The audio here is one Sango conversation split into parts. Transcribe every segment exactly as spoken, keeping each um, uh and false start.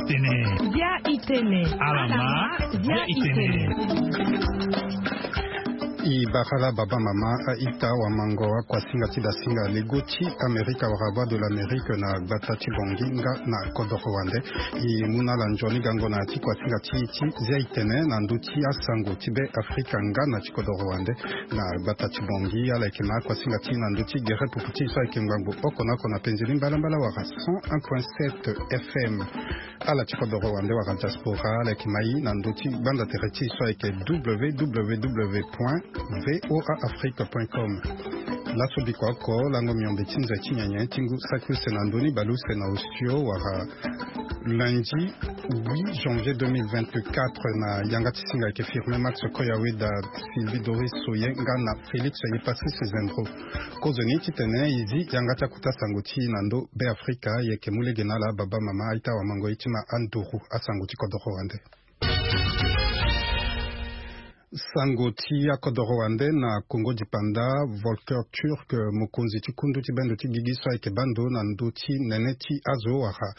Tene. Bia itene. Alama. Bia itene. I bara la baba mama a-ita wamango akuasinga ti dasinga lego ti Amerika wala Voix de l'Amérique na gbata ti Bongi nga na kodoro wande. I mu na ala nzoni gango na ti kuasinga ti, ti zia itene na ndö ti asango ti be Afrika nga na ti kodoro wande na gbata ti Bongi. Ala yeke na akuasinga ti na ndö ti gere pupu ti so ayeke ngbangbo oko na oko na penzi ni mbalambala wala cent un point sept F M. Ala ti kodoro wande wala diaspora ala yeke mai na ndö ti gbanda tere ti so ayeke W W W point V O A Afrique point com. Laso bikua oko lango miombe ti nze ti nyenye ti ngu saki use na ndö ni baleuse na osio wala lundi huit janvier deux mille vingt-quatre na yanga ti singa ayeke firme Max Koyaweda, Sylvie Doris Soye nga na Félix Yepassis Zendro. Kozoni titene e zi yanga ti akuta sango ti na ndö Be Afrika, e yeke mu lege na ala baba mama a-ita wamango ye ti ma anduru asango ti kodoro wande. Sango ti akodoro wande na Kongo dipanda, Volker Turk, mokonzi ti kundu ti bendo ti gigi so ayeke baa ndo na ndö ti nene ti azo wala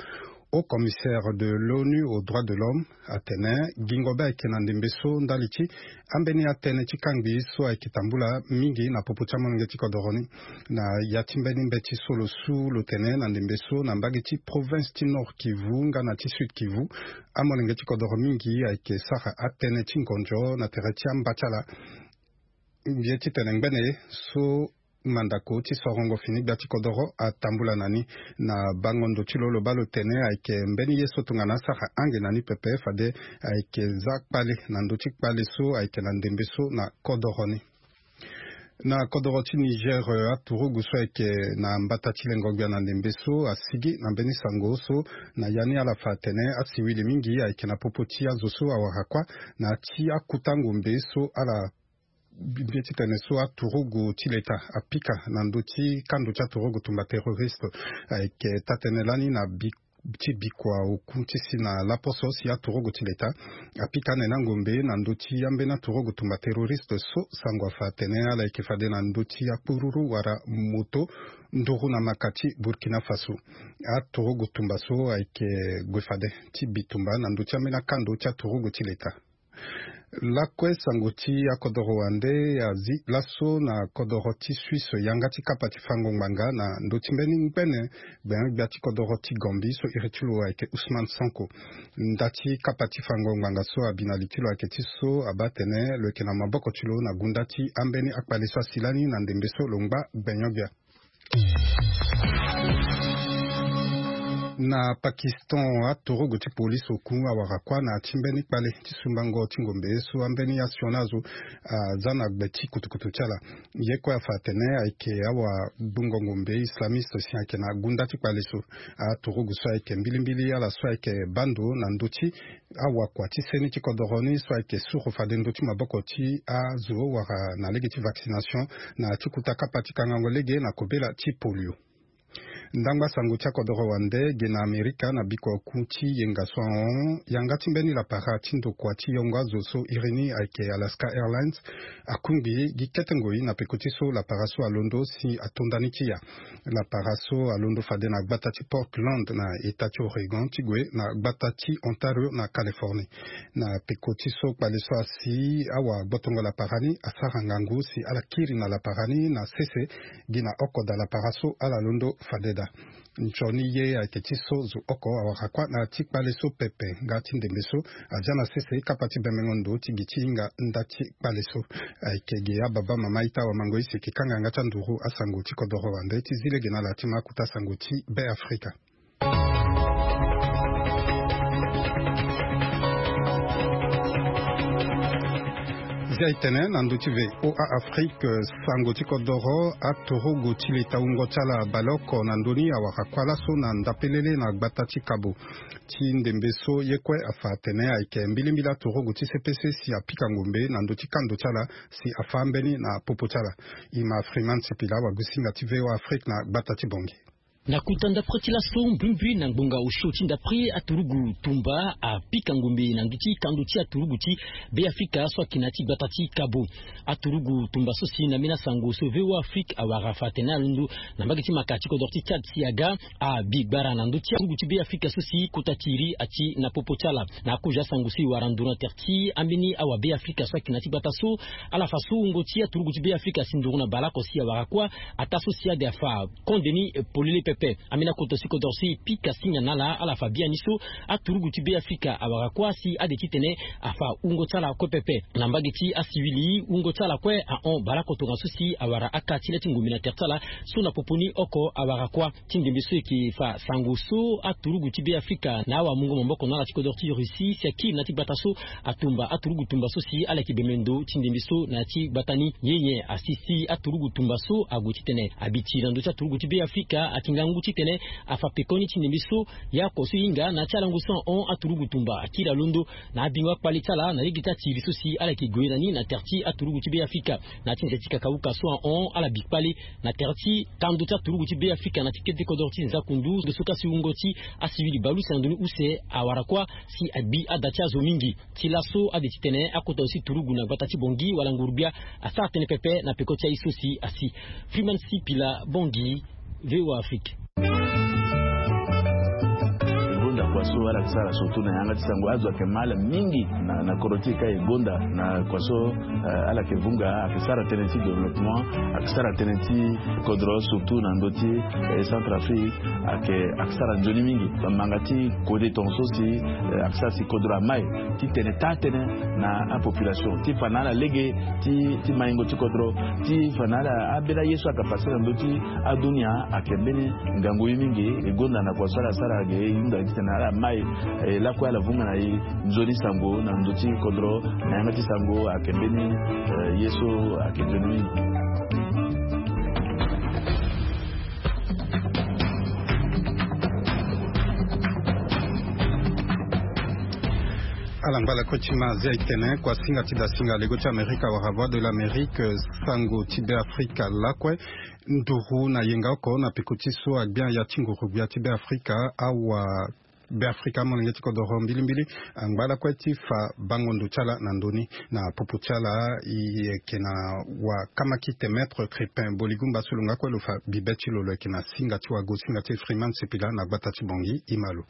Haut Commissaire de l'ONU aux droits de l'homme atene gingo be ayeke na ndembe so ndali ti ambeni atënë ti kangbi so ayeke tambula mingi na popo ti amolenge ti kodoro ni. Na ya ti mbeni mbeti so lo su lo tene na ndembe so na mbage ti province ti Nord Kivu nga na ti Sud Kivu, amolenge ti kodoro mingi ayeke sara atënë ti ngonzo na tere ti amba ti ala. Mbi ye titene ngbene so mandako ti sorongo fini gbia ti kodoro atambula na ni. Na bango ndo ti lo lo baa lo tene ayeke mbeni ye so tongana asara ange na ni pepe fade ayeke za kpale na ndö ti kpale so ayeke na ndembe so na kodoro ni. Na kodoro ti Niger, eh, aturugu so ayeke na mbata ti lengo gbia na ndembe so asigi na mbeni sango so na ya ni ala fa atene asiwili mingi ayeke na popo ti azo so awara kuâ na ya ti akuta ngombe so ala bi-, bi titene so aturugu ti leta apika na ndö ti kando ti aturugu tumba terroriste. Ayeke taa-tënë lani na bi-, ti bikua oku ti si na laposo si aturugu ti leta apika ane na ngombe na ndö ti ambeni aturugu tumba terroriste so sango afa atene ala yeke fade na ndö ti akpururu wala moto nduru na maka ti Burkina Faso. Aturugu tumba so ayeke gue fade ti bitumba na ndö ti ambeni akando ti aturugu ti leta. Lakue sango ti akodoro wande azi laso na kodoro ti Suisse yanga ti kapa ti fango ngbanga na ndö ti mbeni ngbene gbenyo-gbia ti kodoro ti Gambie so iri ti lo ayeke Ousmane Sonko. Nda ti kapa ti fango ngbanga so abi na li ti lo ayeke ti so abaa atene lo yeke na maboko ti lo na gunda ti ambeni akpale so asi lani na ndembe so lo ngba gbenyo-gbia. Na Pakistan, aturugu ti polisi oku awara kuâ na ya ti mbeni kpale ti sumbango ti ngombe so ambeni asioni azo aza na gbe ti kutukutu ti ala. Ye kue afa atene ayeke awagbungo-ngombe islamiste si ayeke na gunda ti kpale so. Aturugu so ayeke mbilimbili ala so ayeke baa ndo na ndö ti awakua ti seni ti kodoro ni so ayeke suru fade ndö ti maboko ti azo wala na lege ti vaccination na ya ti kuta kapa ti kangango lege na kobela ti polio. Ndangba sango ti akodoro wande ge na Amerika na bikua oku ti yenga so ahon yanga ti mbeni lapara ti ndokua ti yongo azo so iri ni ayeke Alaska Airlines akungbi gi kete ngoi na peko ti so lapara so alondo si ato ndani ti ya. Lapara so alondo fade na gbata ti Portland na eta ti Oregon ti gue na gbata ti Ontario na Californie. Na peko ti so kpale so asi awagbotongo lapara ni asara ngangu si ala kiri na lapara ni na sese gi na oko daa lapara so ala londo fade daa. Nzoni ye ayeke ti so zo oko awara kuâ na ya ti kpale so pepe nga ti ndembe so azia na sese kapa ti bembengo ndo ti gi ti hinga nda ti kpale so. Ayeke ge ababa mama ita wamango ye si eke kanga yanga ti anduru asango ti kodoro wande ti zi lege na ala ti ma akuta sango ti Be Afrika. Zia e tene na ndö ti V O A Afrique, sango ti kodoro, aturugu ti leta wungo ti ala baleoko na ndö ni awara kuâ laso na ndapelele na gbata ti Kabo ti ndembe so ye kue afa atene ayeke mbilimbili aturugu ti C P C si apika ngombe na ndö ti kando ti ala si afa ambeni na popo ti ala. E ma Freeman Sipila wagusinga ti V O A Afrique na gbata ti Bongi. Na kota ndapre ti laso mbrimbri na ngbonga osio ti ndapre aturugu tumba apika ngombe na ndö ti kando ti aturugu ti Beafrika so ayeke na ya ti gbata ti Kabo. Aturugu tumba so si na ambeni asango so V O A Afrique awara fa atene alondo na mbage ti maka ti kodro ti Tchad si aga abi gbara na ndö ti aturugu ti Beafrika so si kota tiri ati na popo ti ala. Na akozo asango so e wara nduru na tere ti ambeni awabeafrika so ayeke na ya ti gbata so, ala fa so wungo ti aturugu ti Beafrika asi nduru na baleoko si awara kuâ, ataa so si ade afa konde ni polele pepe. Ambeni akota si kodro so e pika singa na ala, ala fa biani so aturugu ti Beafrika awara kuâ si ade titene afa wungo ti ala kue pepe. Na mbage ti asiwili, wungo ti ala kue ahon baleoko tongaso si awara aka ti le ti ngombe na tere ti ala so na popo ni oko awara kuâ. Ti ndembe so e yeke fa sango so aturugu ti Beafrika na awamungo maboko na ala ti kodro ti Russie si akiri na ya ti gbata so atumba aturugu tumba so si ala yeke bembe ndo ti ndembe so na ya ti gbata ni. Nyenye asi si aturugu tumba so ague titene abi tiri na ndö ti aturugu ti Beafrika ayeke ngangu titene afa pekoni ti ndembe so. Yaoko so e hinga na ya ti alango so ahon aturugu tumba akiri alondo na abingo akpale ti ala na lege ti atiri so si ala yeke gue na ni na tere ti aturugu ti Beafrika. Na ya ti nze ti kakauka so ahon ala bi kpale na tere ti kando ti aturugu ti Beafrika na ti kete kodro ti Nzakundu, ndo so ka si wungo ti asiwili baleuse na ndoni use awara kuâ si agbi ada ti azo mingi. Ti laso ade titene akota aussi turugu na gbata ti Bangui wala nguru-gbia asara tënë pepe na peko ti aye so si asi. Freeman Sipila, Bangui, V O A Afrique. E gonda kua so ala yeke sara surtout na yanga ti sango, azo ayeke mal mingi na, na kodro ti e ka e gonda na kua so, eh, ala yeke vunga, ayeke sara tënë ti développement, ayeke sara tënë ti kodro surtout na ndö ti, eh, Centrafrique, ayeke, ayeke sara nzoni mingi. Bamanga ti kode tongaso si, eh, ayeke sara si kodro amai titene taa tënë na apopulation ti fa na ala lege ti, ti maingo ti kodro, ti fa na ala ambeni aye so ayeke pase na ndö ti adunia ayeke mbeni ngangu ye mingi. E gonda na kua so ala sara ge e hunda titene ala mai, eh, lakue ala vunga na e nzoni sango na ndö ti kodro na yanga ti sango ayeke mbeni, eh, ye so ayeke nzoni mingi. Ala ngba lakue ti ma azia e tene kua singa ti dasinga lego ti Amerika wala Voix de l'Amérique, sango ti Beafrika lakue. Nduru na yenga oko na peko ti so agbia ya ti nguru-gbia ti Beafrika, awa Beafrika amolenge ti kodoro mbilimbili angba lakue ti fa bango ndo ti ala na ndö ni. Na popo ti ala e yeke na wakamaki te Maître Crépin Boligumba so lo nga kue lo fa bibe ti lo, lo yeke na singa ti wago singa ti Freeman Sipila na gbata ti Bangui. E ma lo.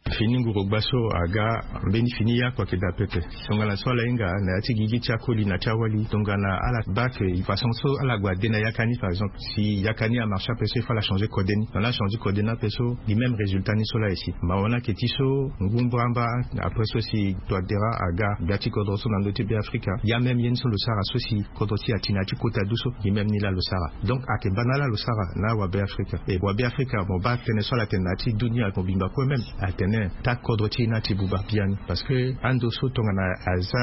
Fini nguru-gbia so aga mbeni fini yaku ayeke daa pepe. Tongana so ala hinga na ya ti gigi ti akoli na ti awali, tongana ala baa ke façon so ala gue ade na yaka ni, par exemple, si yaka ni amarche ape so, il faut ala changer kode ni. Tongana ala changer kode ni ape so, gi même résultat ni so laa e si. Mawa ni ayeke ti so ngu mbramba, après so si Touadéra aga gbia ti kodro so na ndö ti Beafrika, ya même ye ni so lo sara so si kodro ti e ati na ya ti kota du so, gi même ni laa lo sara. Donc ayeke baa na ala lo sara na awabeafrika. E wabeafrika mo baa tënë so ala tene na ya ti dunia mobimba kue même atene taa kodro ti e ni ati buba biani. Parce que ando so tongana aza,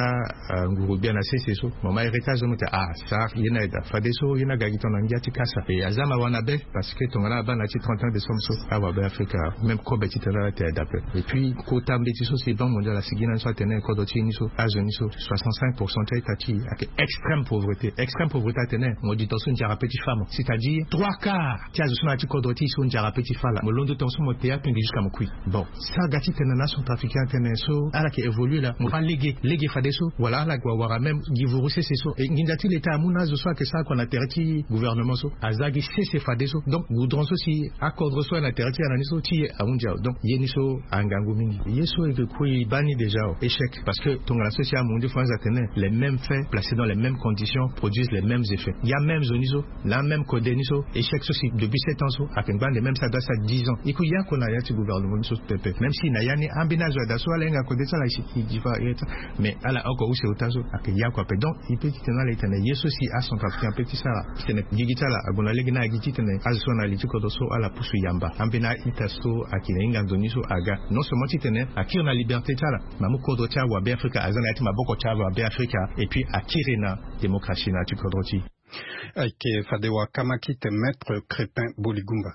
ah, nguru-gbia na sese so, mama Erika azo mo tene ah, sara ye ni aye daa. Fadeso ye ni aga gi tongana ngia ti kasa. E aza mawa na be, parce que tongana abaa na ya ti trente et un décembre so, awabeafrika même kobe titene ala tere daa ape. Et puis kota mbeti so si Banque mondiale asigi na ni so atene kodro ti e ni so, azo ni so, soixante-cinq pour cent ti a-ita ti e ayeke extrême pauvreté. Extrême pauvreté atene mo di tongaso nzara pe ti fâ mo. C'est-à-dire trois quarts ti azo so na ya ti kodro ti e so nzara pe ti fâ ala. Mo londo tongaso mo te apenge jusqu'à mo kui. Bon, so aga titene na acentrafricain atene so ala yeke évoluer laa, mo fâ lege, lege fadeso. Wala ala gue awara même gi vuru sese so. E nginza ti leta amu na azo so ayeke sara kua na tere ti gouvernement so, aza gi sese fadeso. Donc goudron so si akodro so ayeke na tere ti e na ni so ti e ahunzi awe. Donc ye ni so angangu mingi. Ye so e yeke kue e baa ni déjà o, échec. Parce que tongana so si amundu France atene les mêmes faits placés dans les mêmes conditions produisent les mêmes effets. Ya même zo ni so, la même kode ni so, échec so si depuis sept ans so ayeke ngba nde même so adoit sara dix ans. E kue ya oko na ya ti gouvernement ni so pepe. Même si na ya ni ambeni azo ada so ala hinga kode ti ala e si e di fa e yeta. Mais ala oko use ota so ayeke ya oko ape. Donc e peut titene ala e tene ye so si acentrafricain ape ti sara titene gigi ti ala ague na lege ni agi titene azo so na li ti kodro so ala pusu yamba. Ambeni a-ita so ayeke na hinga nzoni so aga non seulement titene akiri na liberté ti ala, me amu kodro ti awabeafrika aza na ya ti maboko ti awabeafrika, et puis akiri na démocratie na ya ti kodro ti e. Ayeke fade wakamaki te Maître Crépin Boligumba.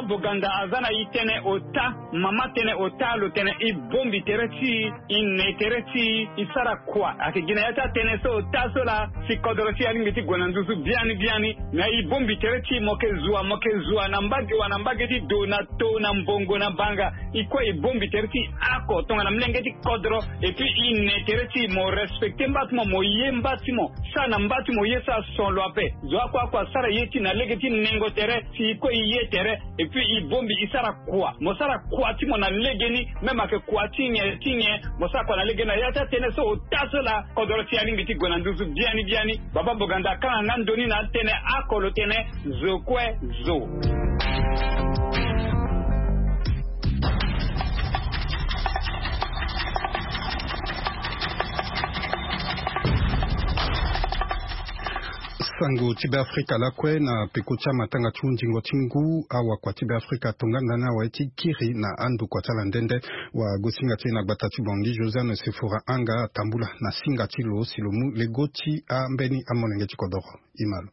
Boganda aza na e tënë ota. Mama tënë ota lo tene e bongbi tere ti e, e ne tere ti e, e sara kua. Ayeke gi na ya ti atënë so ota so laa, si kodro ti e alingbi ti gue na nduzu biani biani. Na e bongbi tere ti e, mo yeke zua, mo yeke zua na mbage wa, na mbage ti do, na to, na mbongo, na banga. E kue e bongbi tere ti e oko tongana molenge ti kodro. Et puis e ne tere ti e, mo respecter mba ti mo, mo ye mba ti mo. Sara na mba ti mo ye so ason lo ape. Zo oko oko asara ye ti e na lege ti nengo tere. Si e kue e ye tere, et puis e bongbi, e sara kua. Mo sara kua ti mo na legeni, même ayeke kua ti nyen ti nyen, mo sara kua na legeni. Na ya ti atënë so ota so laa, kodro ti e alingbi ti gue na nduzu biani biani. Baba Boganda akanga nga ndo ni na atënë oko lo tene: zo kue zo. Sango ti Beafrika lakue na peko ti amatanga ti hundingo ti ngu, awakua ti Beafrika atongana na awe ti kiri na andokua ti ala nde nde. Wagosinga ti e na gbata ti Bangui, Josiane Sefora Anga, atambula na singa ti lo si lo mu lego ti ambeni amolenge ti kodoro. Ima lo.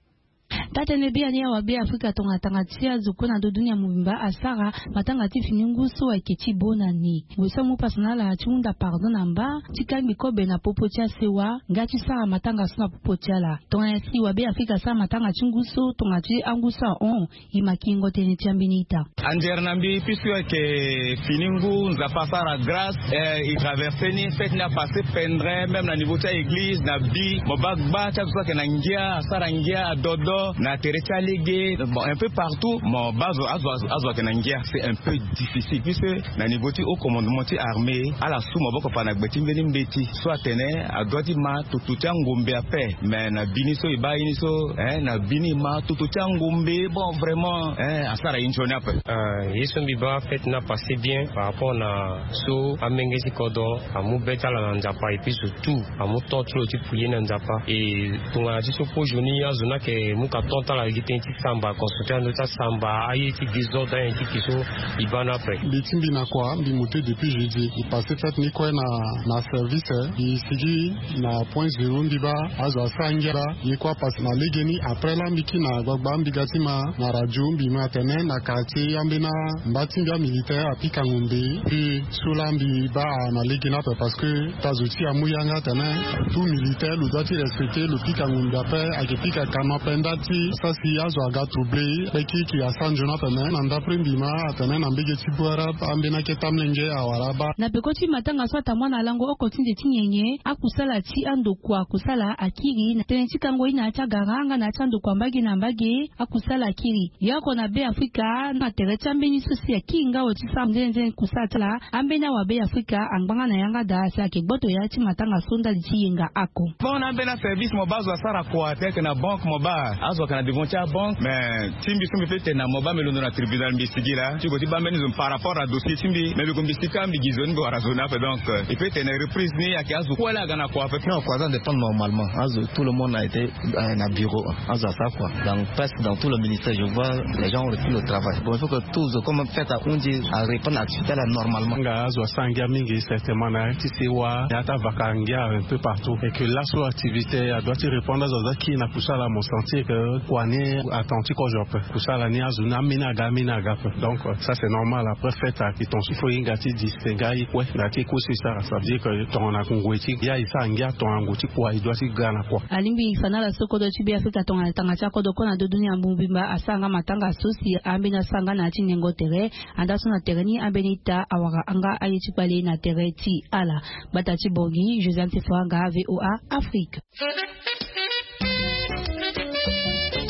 Taa-tënë biani, awabe Afrika tongana tanga ti azo kue na ndo dunia mobimba asara matanga ti fini ngu so ayeke ti bo na ni. Gue so amu paso na ala ti hunda pardon na mba ti kangbi kobe na popo ti asewa nga ti sara matanga so na popo ti ala. Tongana si wabe Afrika asara matanga ti ngu so tongana ti angu so ahon, e ma kingo tënë ti ambeni ita. Anzere na mbi, puisque ayeke fini ngu, Nzapa asara grâce, eh, e traverse ni, fête ni apasse pendre, même na niveau ti a-église, na bi, mo baa gba ti azo so ayeke na ngia, asara ngia, adodo, na tere ti alege, bon, un peu partout, mo baa azo, azo, azo, azo ayeke na ngia. C'est un peu difficile, puisque na niveau ti haut commandement ti armée, ala su maboko pa na gbe ti mbeni mbeti so atene adoit ti ma toto ti angombe ape. Mais na bini so e baa ye ni so, hein, na bini e ma toto ti angombe, bon, vraiment, hein, asara ye nzoni ape. Ah, ye so mbi baa, fête ni apasse bien par rapport na so amenge ti kodro amu be ti ala na Nzapa, et puis surtout amu temps ti lo ti prier na Nzapa. Et tongana ti so pause ni, azo ni ayeke mu ka temps ti ala gi tënë ti samba, consulter ando ti asamba, aye ti désordre, aye ti ki so e baa ni ape. Mbi ti mbi na kua, mbi mu te depuis jeudi. E passe fête ni kue na, na service, eh. Mbi sigi na point zéro, mbi baa azo asara ngia laa. Ye kue apasse na legeni. Après laa mbi kiri na gbagba, mbi ga ti ma na radio, mbi ma atene na quartier ambeni mba ti mbi amilitaire apika ngombe. Puis so laa mbi baa na legeni ape, parce que ta zo ti e amu yanga atene tout militaire lo doit ti respecter, lo pika ngombe ape, ayeke pika kama ape. Nda ti sa si azo aga trouble, pe kirikiri asara nzoni ape. Me na ndapre mbi ma atene na mbege ti bwara ambeni akete amolenge awara abaa. Na peko ti matanga so atambula na lango oko ti nze ti nyenye, akusala ti andokua kusala akiri na tënë ti kango ye na ya ti agara nga na ya ti andokua mbage na mbage, akusala akiri. Ye oko na Beafrika, na tere ti ambeni so si akiri nga awe ti sara nzenze kusala ti ala, ambeni awabe Afrika angbanga na yanga daa si ayeke gboto ya ti matanga so ndali ti yenga oko. Bon, na ambeni aservice mo baa azo asara kua, ti ayeke na banque mo baa azo ayeke na devant ti abanque. Mais ti mbi so mbi peut tene na mo baa mbi londo na tribunal, mbi sigi laa ti gue ti baa mbeni zo par rapport na dossier ti mbi. Mais mbi gue mbi si kâ, mbi gi zo ni, mbi wara zo ni ape. Donc, euh, e peut tene reprise ni ayeke azo kue laa aga na kua ape. Non, kua aza dépend normalement. Azo, tout le monde a été, euh, na bureau. Azo asara kua. Donc, presque dans tout le ministère, je vois les gens ont repris le travail. Bon, il faut que tous, comme fête ahundi, arépondre à l'activité là normalement. Nga azo asara ngia mingi, certainement, na ya ti sewa, na ya ti avaka ngia un peu partout. Et que laso activité adoit ti répondre, azo aza kiri na kusala, mo sentir que kua ni attendu ti kozo ape. Kusala ni azo ni ambeni aga, ambeni aga ape. Donc, euh, ça c'est normal. Après fête ayeke tongaso, il faut e hinga ti distinguer aye kue na ya ti ye kue so e sara. Ça veut dire que tongana ngoi ti ya e sara ngia, tongana ngoi ti kua e doit ti ga na kua. Alingbi fa na ala so kodro ti Beafrika tongana tanga ti akodro kue na ndo dunia mobimba asara nga matanga so si ambeni asara nga na ya ti nengo tere. Andaa so na tere ni ambeni ita awara nga aye ti kpale na tere ti ala. Gbata ti Bangui, Josiane Sefora Anga, V O A Afrique.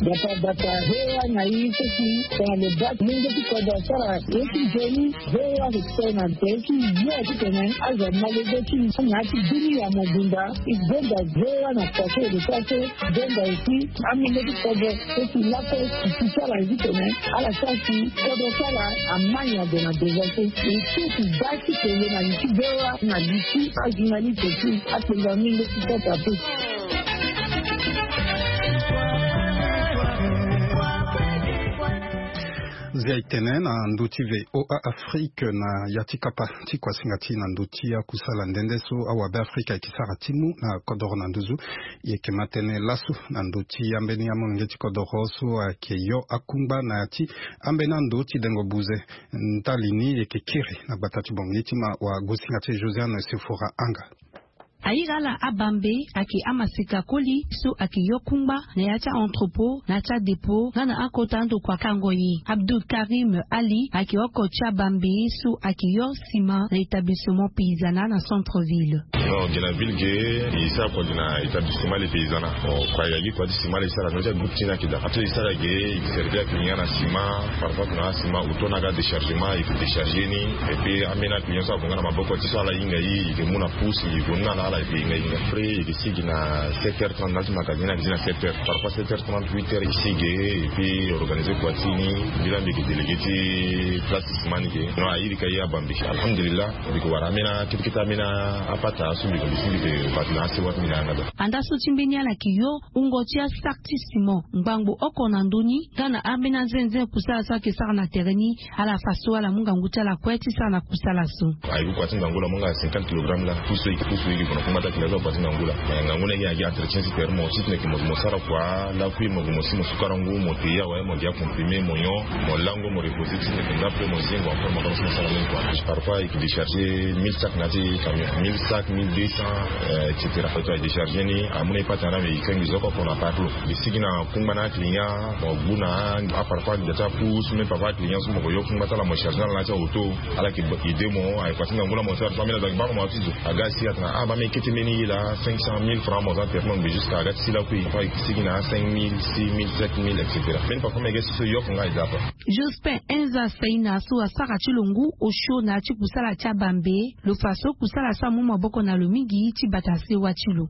Bata bata, V O A na e so si tongana lo baa molenge ti kodro asara ye ti nzoni, V O A ayeke sara na tere ti yo titene azo ama lege ti na ya ti dunia mobimba. E gonda V O A na kua so e lo sara so, gonda aussi amolenge ti kodro so si lakue e si ti ala ye titene ala sara si kodro ti ala ama nyen ade na devant so. E so si baa ti kele na li ti V O A na li ti ajournaliste ti akpengba molenge ti kodro ape. Zia itene na ndö ti VOA Afrique na ya ti kapa ti kuasinga ti na ndö ti akusala nde nde so awabe Afrika eke sara ti mu na kodoro na nduzu. Eke ma tene laso na ndö ti ambeni amolenge ti kodoro so ake yo akungba na ya ti ambeni ando ti dengo buze. Ndali ni eke kiri na gbata ti Bangui ti ma wa gosinga ti Josiane Sefora Anga. Ayira ala abambe ake amaseka koli so ake yo kungba na ya ti a-entrepôt na ya ti adépôt nga na akota ando kua kango ye. Abdul Karim Ali ake oko ti abambe so ake yo sima na établissement paysanat na centre ville. Non, gi na ville ge, e sara kua gi na établissement le paysanat. Bon, kua ya gi kua ti sima le sara no ti agroupe ti na kida ato e sara ge, e servi akilian na sima. Parfois tongana sima auto na aga déchargement e fi décharger ni. Et puis ambeni akilian so agonga na maboko ti so ala hinga ye, e ke mu na pousse e vo ni na ala ala e ke hinga hinga après e ke sigi na sept heures trente na ti magasin na ti na sept heures, parfois sept heures trente, huit heures e sigi. Et puis organiser kua ti ni. Mbi la mbi ke délégué ti place ti sima ni ke. Non, ayiri ka ye abambe, alhamdulillah. Mbi ke wara ambeni akete kete ambeni apata so mbi ke mbi si mbi ke bati na asewa ti mbi na yanga daa. Andaa so ti mbeni ala ke yo wungo ti asaki ti simon ngbangbo oko na ndö ni nga na ambeni anzenzen kusala so ayeke sara na tere ni. Ala fa so ala mu ngangu ti ala kue ti sara na kusala so. Aye ku kua ti ngangu la mo nga cinquante kilogramme la. Pusu eke pusu eke kona kuma ta kina so akua ti ngangu la. Ngangu na eke agi entretien ti tere mo titene ke mo sara kua lakui mo gue mo si mo sukarangu mo te ye awe mo gi acomprimé mo nyon. Mo lango mo reposer titene ke nga pe mo zingo encore mo kama so mo sara mbeni kua. Parfois eke décharger mille sacs na ti camion, mille sacs, mille deux cents, etc. Aye décharger ni amu na e pata na me e kenge zo oko na parlo. Mbi sigi na kungba na akilian mo gbu na aparfois da ti apus même parfois akilian so mo ko yo kungba ti ala mo charge na ala na ti auto. Ala ke ide mo aye kua ti ngangu la mo sara so ambeni aza gi baa mo ma ti zo. Aga si atena ah baa me kete mbeni ye laa cinq cent mille francs mo za tere mo ngbe jusqu'à aga ti si lakui. Parfois e ke sigi na cinq mille, six mille, sept mille, etc. Mbeni parfois me ge si so yoko nga e za apa. Jospin Enza Saina so asara ti lo ngu osio na ya ti kusala ti abambe. Lo fa so kusala so amu maboko na lo mingi ti bata sewa ti lo.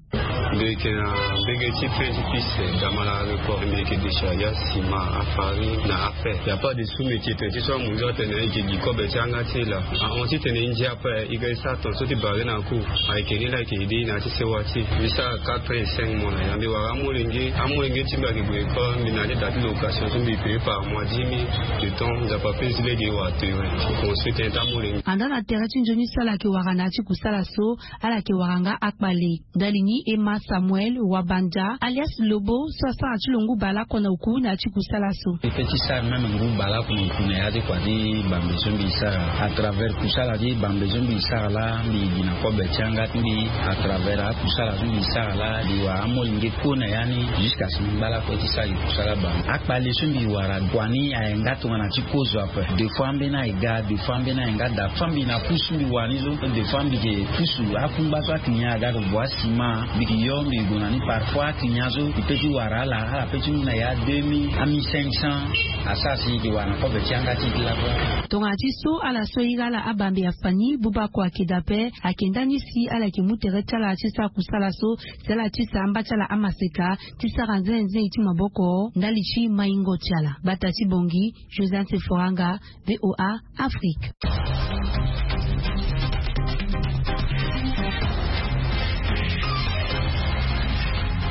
Mbi yeke na mbege ti pain ti piste, damala record. Mbi yeke décharger asima, afarine na afer. Ya pas de sous métier tene ti so amu nzoni atene e yeke gi kobe ti yanga ti e laa. Ahon titene e ndia ape e ga e sara tongaso ti bare na cour. Ayeke ni laa e yeke aidé e na ya ti sewa ti e. Mbi sara quatre et cinq mois na ya. Mbi wara amolenge, amolenge ti mbi ayeke gue école. Mbi na ya ti da ti location so mbi paye par mois dix mille. Le temps nzapa pe zi lege e wara tere ti construire tënë ti amolenge. Andaa na tere ti nzoni so ala yeke wara na ya ti kusala so, ala yeke wara nga akpale. Ndali ni Emma Samuel Wabanda alias Lobo so asara ti lo ngu baleoko na oku na ya ti kusala so. Mbi pe ti sara même ngu baleoko na oku na ya ti kua ti bambe so mbi sara. À travers kusala ti bambe so mbi sara laa mbi gi na kobe ti yanga ti mbi. À travers akusala so mbi sara laa mbi wara amolenge kue na ya ni. Jusqu'à si mbi ngba lakue ti sara gi kusala bambe. Akpale so mbi wara kua ni aye nga tongana ti kozo ape. Des fois ambeni aye ga, des fois ambeni aye nga daa. Fois mbi na pusu mbi wara ni so. Des fois mbi ke pusu akungba so akilian aga ke gue asima. Mbi ke yo mbi ke gue na ni parfois akilian so e pe ti wara ala, ala pe ti mu na ya deux mille, a mille cinq cents. Asara si e ke wara na kobe ti yanga ti e ti lakue. Tongana ti so ala so e iri ala abambe afa ni buba kua ayeke daa ape. Ayeke ndani si ala yeke mu tere ti ala ti sara kusala so si ala ti sa amba ti ala amaseka ti sara nzenze ti maboko ndali ti maingo ti ala. Bata ti bongi Josiane Seforanga, VOA Afrique.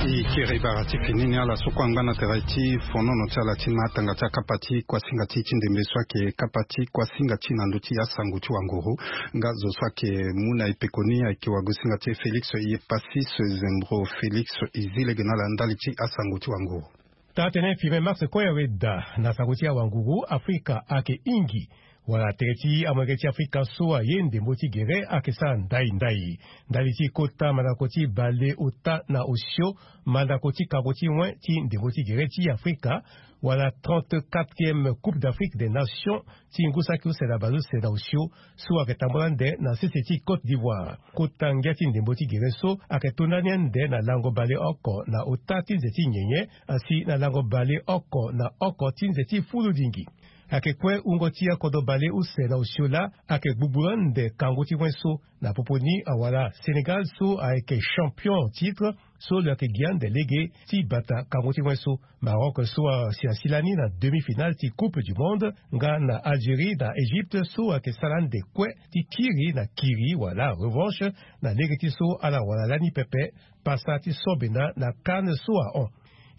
E kiri bara ti fini ni ala so kue angba na tere ti fonono ti ala ti matanga ti akapa ti kuasinga ti ti ndembe so ayeke kapa ti kuasinga ti na ndö ti asango ti wanguru. Nga zo so ayeke mu na e pekoni ayeke wagosinga ti e Félix Iyepassis Zembro. Félix, e zi lege na ala ndali ti asango ti wanguru. Taa-tënë infirmier Max Koyaweda na sango ti awanguru Afrika ayeke hingi wala tere ti amolenge ti Afrika so aye ndembo ti gere ayeke sara ndai ndai. Ndali ti kota mandako ti bale ota na osio, mandako ti kango ti wen ti ndembo ti gere ti Afrika, wala trente-quatrième Coupe d'Afrique des Nations ti ngu saki use na baleuse na osio so ayeke tambula ande na sese ti Côte d'Ivoire. Kota ngia ti ndembo ti gere so ayeke to ndani ande na lango baleoko na ota ti nze ti nyenye asi na lango baleoko na oko ti nze ti fuludingi. Ayeke kue wungo ti akodro baleuse na osio laa ayeke gbugbu ande kango ti wen so. Na popo ni awala Sénégal so ayeke champion en titre so lo yeke gi ande lege ti bata kango ti wen so. Maroc so asi asi lani na demi-finale ti Coupe du Monde nga na Algérie na Égypte so ayeke sara ande kue ti kiri na kiri wala revanche na lege ti so ala wara lani pepe pasa ti sobena na CAN so ahon.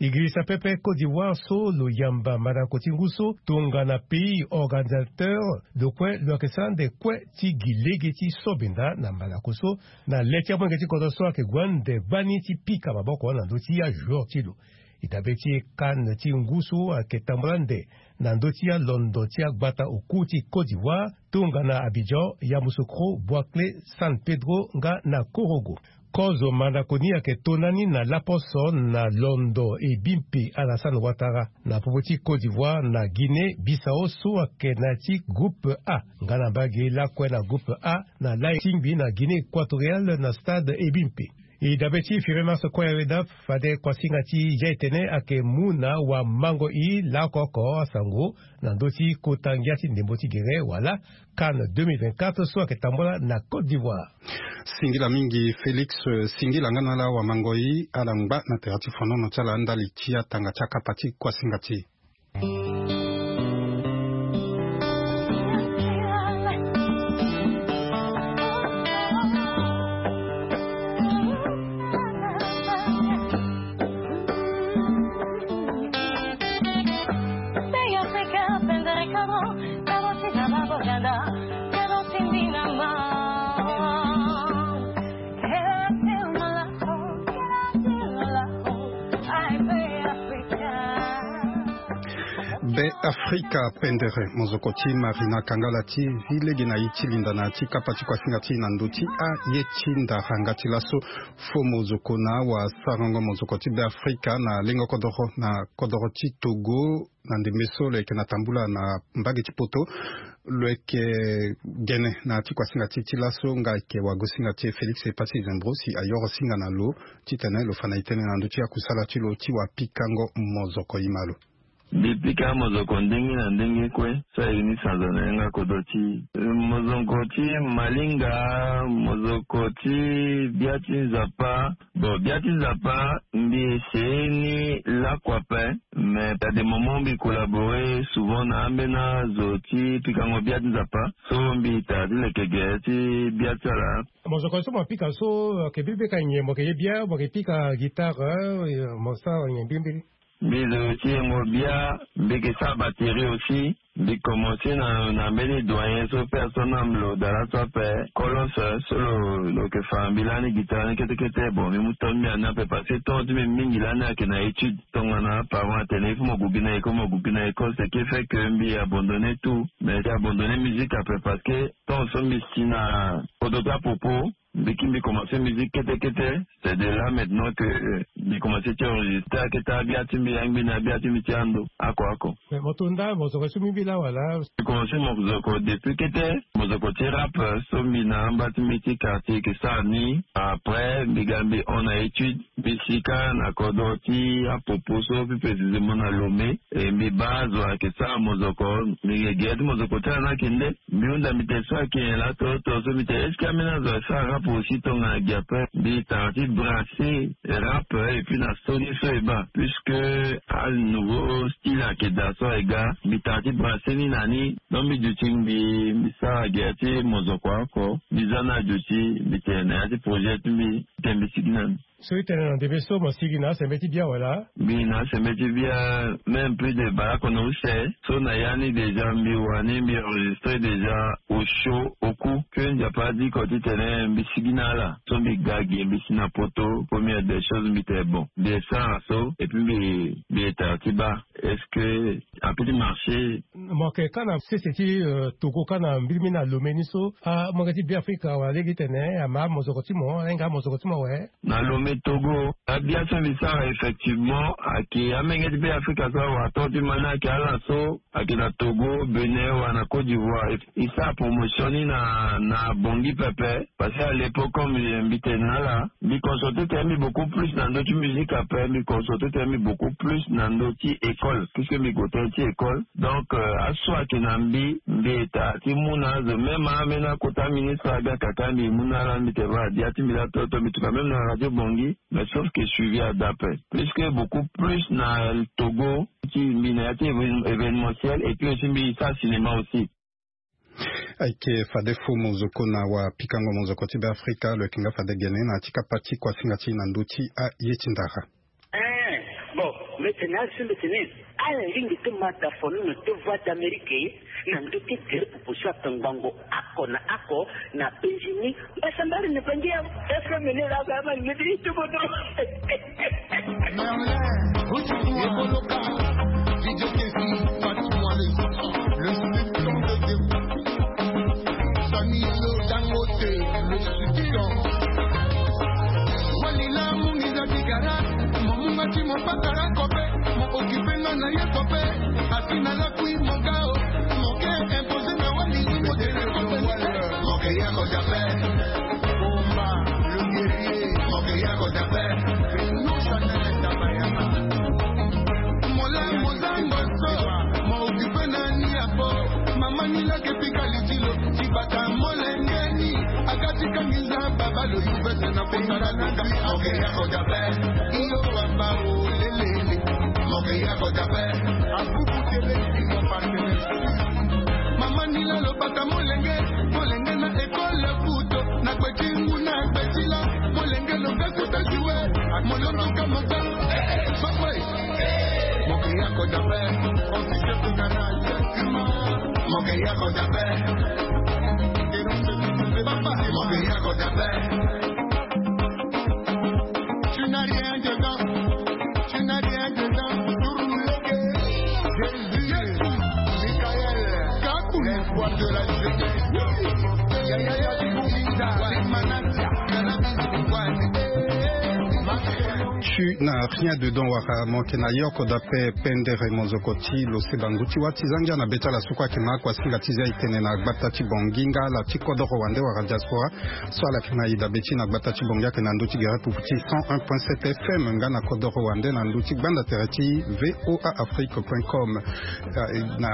E girisa pepe Côte d'Ivoire so lo yamba mandako ti ngu so tongana pays organisateur, lo kue lo yeke sara ande kue ti gi lege ti sobenda na mandako so, na le ti amolenge ti kodro so ayeke gue ande gbani ti pika maboko na ndö ti ajoueur ti lo. E dabe ti CAN ti ngu so ayeke tambula ande na ndö ti alondo ti agbata oku ti Côte d'Ivoire, tongana Abidjan, Yamoussoukro, Bouakhlé, San Pedro nga na Korogo. Kozo mandako ni ayeke tondani na laposo na londo e bimpe Alassane Ouattara na popo ti Côte d'Ivoire na Guinée Bissau so ayeke na ya ti groupe A, nga na mbage lakue na groupe A na lai tingbi na Guinée Équatoriale na stade e bimpe. E dabe ti Firmin Marceau Koyaweda, fade kuasinga ti ya etene ayeke mu na wamango i laoko oko asango na ndö ti kota ngia ti ndembo ti gere wala CAN deux mille vingt-quatre so ayeke tambula na Côte d'Ivoire. Singila mingi Félix, eh, singila nga na ala wamango i ala ngba na tere ti fonono ti ala ndali ti atanga ti akapa ti kuasinga ti. Be Afrika pendere, mozoko ti Marina Kangala ti zi lege na ye ti linda na ya ti kapa ti kuasinga ti na ndö ti aye ti ndara nga ti laso. Fo mozoko na awasarango mozoko ti Be Afrika na lengo kodoro na kodoro ti Togo, na ndembe so lo yeke na tambula na mbage ti poto, lo yeke gene na ya ti kuasinga ti ti laso nga ayeke wagosinga ti e Félix Epassi Zembro si ayoro singa na lo titene lo fa na e tënë na ndö ti akusala ti lo ti wapikango mozoko i ma lo. Mbi pika mozoko ndenge na ndenge kue so ayeke ni sanza na yanga kodro ti e. Mozoko ti malinga, mozoko ti bia ti nzapa. Bon, bia ti nzapa mbi ese ni lakue ape. Mais à des moments mbi collaborer souvent na ambeni azo ti pikango bia ti nzapa. So mbi tara ti leke gere ti bia ti ala. Mozoko so mo pika so, eh, ayeke birimbiri ka nyen? Mo yeke ye bia, mo yeke pika guitare, eh, mo sara nyen birimbiri? Mbi zo ti yengo bia, mbi yeke sara batterie aussi. Mbi commencé na, na mbeni doyen so personne ame lo dara so ape, Kolos, so lo, lo yeke fa mbi lani guitare ni kete kete. Bon, mbi mu tonga mbi ani ape parce que temps ti mbi mingi lani ayeke na étude. Tongana parent atene il faut mo gue gi na école, mo gue gi na école, ce qui fait que mbi abandonné tout. Mais mbi abandonné musique ape parce que temps so mbi si na kodro ti apopo, mbi ki mbi commencé musique kete kete. C'est de là maintenant que, euh, mbi commencé ti enregistrer akete abia ti mbi, angbi na abia ti mbi ti ando. Oko oko. Mais mo to nda mozoko so mbi mbi laa wala? Mbi commencé mozoko depuis kete, mozoko ti rap, euh, so mbi na amba ti mbi ti quartier yeke sara ni. Après mbi ga mbi hon na étude, mbi si kâ na kodro ti apopo so, plus précisément na Lomé. E mbi baa azo ayeke sara mozoko, mbi yeke gere ti mozoko ti ala ni ayeke nde. Mbi hunda mbi tene so ayeke nyen laa, to, to so mbi tene est-ce que ambeni azo asara rap aussi tongana gi ape? Mbi tara ti brasser rap, eh, et puis na so ni so e baa, puisque a nouveau style ayeke daa so e ga, mbi tara ti brasser ni na ni. Donc mbi duti mbi, mbi sara gere ti mozoko oko, mbi za ni aduti, mbi tene na ya ti projet ti mbi, mbi tene mbi sigi na ni. So e tene na ndembe so mo sigi na asembeti bia wala? Mbi na asembeti bia même plus de baleoko na use. So na ya ni déjà mbi wani mbi enregistré déjà au show oku. Que Nzapa adiko titene mbi sigi na ala. So mbi ga gi mbi si na poto, première des choses mbi tene bon, mbi e sara so et puis mbi, mbi e tara ti baa est-ce que a peut marcher. Mo yeke kâ na sese ti, euh, Togo kâ na mbirimbiri na Lomé ni so, amolenge ti Beafrika wala lege ti tene ama mozoko ti mo, ahinga mozoko ti mo awe. Na Lomé Togo, abia so mbi sara effectivement ayeke amolenge ti Beafrika so awara tongo ti ma ni ayeke ala so ayeke na Togo, Bénin wala na Côte d'Ivoire. E sara promotion ni na, na Bangui pepe. Parce que à l'époque comme mbi tene na ala, mbi concentré tene mbi beaucoup plus na ndö ti musique ape, mbi concentré tene mbi beaucoup plus na ndö ti école, puisque mbi gue tënë ti école. Donc, euh, aso ayeke na mbi, mbi eta ti mu na azo, même ambeni akota ministre aga kaka mbi mu na ala, mbi tene voilà, dia ti mbi laa toto, mbi tuka même na Radio Bangui, mais sauf que suivi ada ape. Puisque beaucoup plus na Togo, ti mbi na ya ti éve-, événementiel, et puis aussi mbi sara cinéma aussi. Ayeke fade fo mozoko na wapikango mozoko ti Beafrika, lo yeke nga fade gene na ya ti kapa ti kuasinga ti na ndö ti aye ti ndara. Eh, bon, Mbete na ala si mbete ni ala lingbi ti mata fonono ti voie d'Amérique na ndö ti gere pupu so ake ngbongo oko na oko na penzi ni. Mbasambari na bangi ya F M ni la ba ma ni ti bodo. Merlin, Ruth Ekoloka, Didier Kessy, Patrick Moale, le sultan de Debout. Sani Lo Dangote, le sultan. Walila mungiza bigara, mo munga ti mo patara kope, mo okipe nga na ye kope. Asi na lakui mo gao, mo ke imposer na wali, mo tere kope. Mo ke ya ko jape. Bomba, le guerrier. Mo ke ya ko jape. Nous chanel tabayama. Mola mozango so, mo okipe na ni apo. Mama ni lake pika litilo, tibata molenge ni. Akati kangiza baba lo yuvete na pesa na nanga. Mo ke ya ko jape. Iyo wamba o lelele. Mo ke ya ko jape. Abubu tele ki mo partenaire. Mama ni la lo bata molenge, molenge na école kuto, na kpeti ngu na kpeti la, molenge lo ka kuta juwe, molondo ka mota. Papa, mo ke ya ko jape, on ti chef de garage, mo ke ya ko jape. Papa, mo ke ya ko jape. Tu n'as rien dedans. Tu n'as rien dedans. Jésus, Michael, Kakou, l'espoir de la jeunesse. Yaya, Yaya, Big Manatia, Cannabis, One. Tu n'as rien dedans, wara mo ke na yoko da pe pendere mozoko ti lo se bangu ti wa ti zangia na beta la sukwa ke ma kwa singa ti zia itene na gbata ti bongi nga la ti kodoro wande wara diaspora. So ala yeke na e dabe ti na gbata ti bongi ayeke na ndö ti gere pupu ti cent un point sept F M nga na kodoro wande na ndö ti gbanda tere ti V O A Afrique point com. Eh, na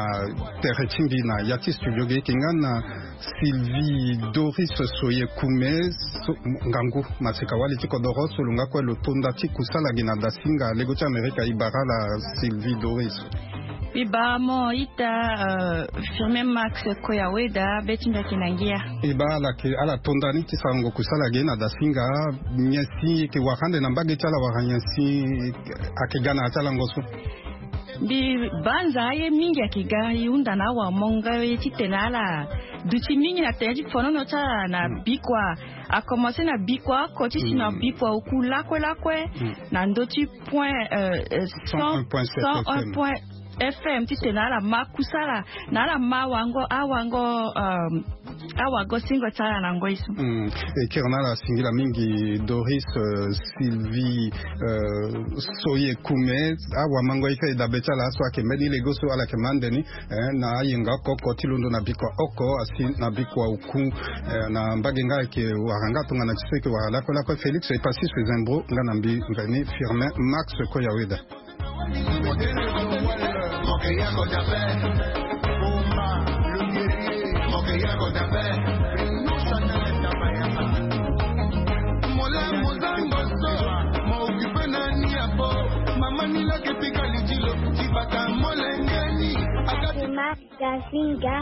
tere ti mbi na ya ti studio ge yeke nga na Sylvie Doris Soyekume. So, ngangu maseka wali ti kodoro so lo nga kue lo tonda ti kusala ge na dasinga lego ti Amerika. E bara ala Sylvie Doris. E bara mo ita, euh, Firmin Max Koyaweda, be ti mbi ayeke na ngia. E bara ala yeke, ala tonda ni ti sarango kusala ge na dasinga. Nyen si e yeke wara ande na mbage ti ala wala nyen si ayeke ga na ya ti ala ngo so? Mbi banza aye mingi ayeke ga, e hunda na awamongo ye titene ala duti mingi na tënë ti fonono ti ala na bikua. A commencé na bikua oko ti si na bikua oku lakue lakue, na ndö ti point, euh, euh, cent un point sept F M titene ala ma kusala na ala ma awango, awango, euh, awagosingo ti ala na ngoi so. Mm. E kiri na ala singila mingi Doris, euh, Sylvie, euh, Soyekume. Awamango e kiri dabe ti ala so ayeke mbeni lego so ala yeke ma ande ni, eh, na ayenga oko oko ti londo na bikua oko asi na bikua oku, eh, na mbage nga ayeke wara nga tongana ti so e yeke wara lakue lakue. Félix Epassis Zembro nga na mbi mveni Firmin Max Koyaweda. Gasinga,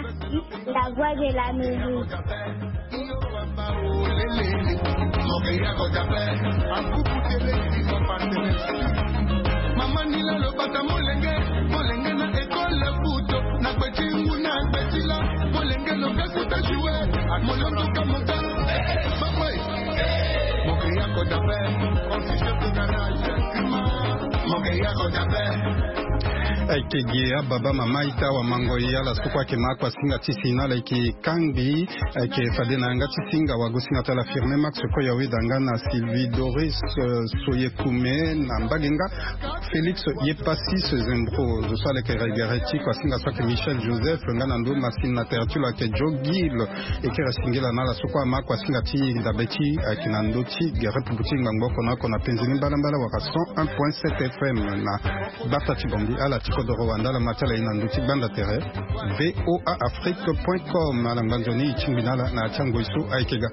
la voix de l'Amérique. Mama ni la lo bata molenge, molenge na école kuto, na kpeti ngu na kpeti la, molenge lo ka kuta juwe, molondo ka mota. Papa, mo ke ya ko dape, on ti chef de garage. Mo ke ya ko dape. Ayeke gi ababa mama ita awamango e ala so kue ayeke ma akua singa ti si na ala yeke kangbi. Ayeke fade na yanga ti singa awagosinga ti ala Firmin Max Koyaweda nga na Sylvie Doris, euh, Soyekume na mbage nga Félix Epassis Zembro. Zo so ala yeke regere ti kua singa so ayeke Michel Joseph nga na ndö masini na tere ti lo ayeke Joe Gill. E kiri singila na ala so kue ama kua singa ti dabe ti ayeke na ndö ti gere pupu ti ngbangbo oko na oko na penzi ni mbalambala wala cent un point sept F M na gbata ti Bangui. Ala ti kodoro wande ala ma ti ala ye na ndö ti gbanda tere V O A Afrique point com. Ala ngba nzoni e tingbi na ala na ya ti angoi so ayeke ga.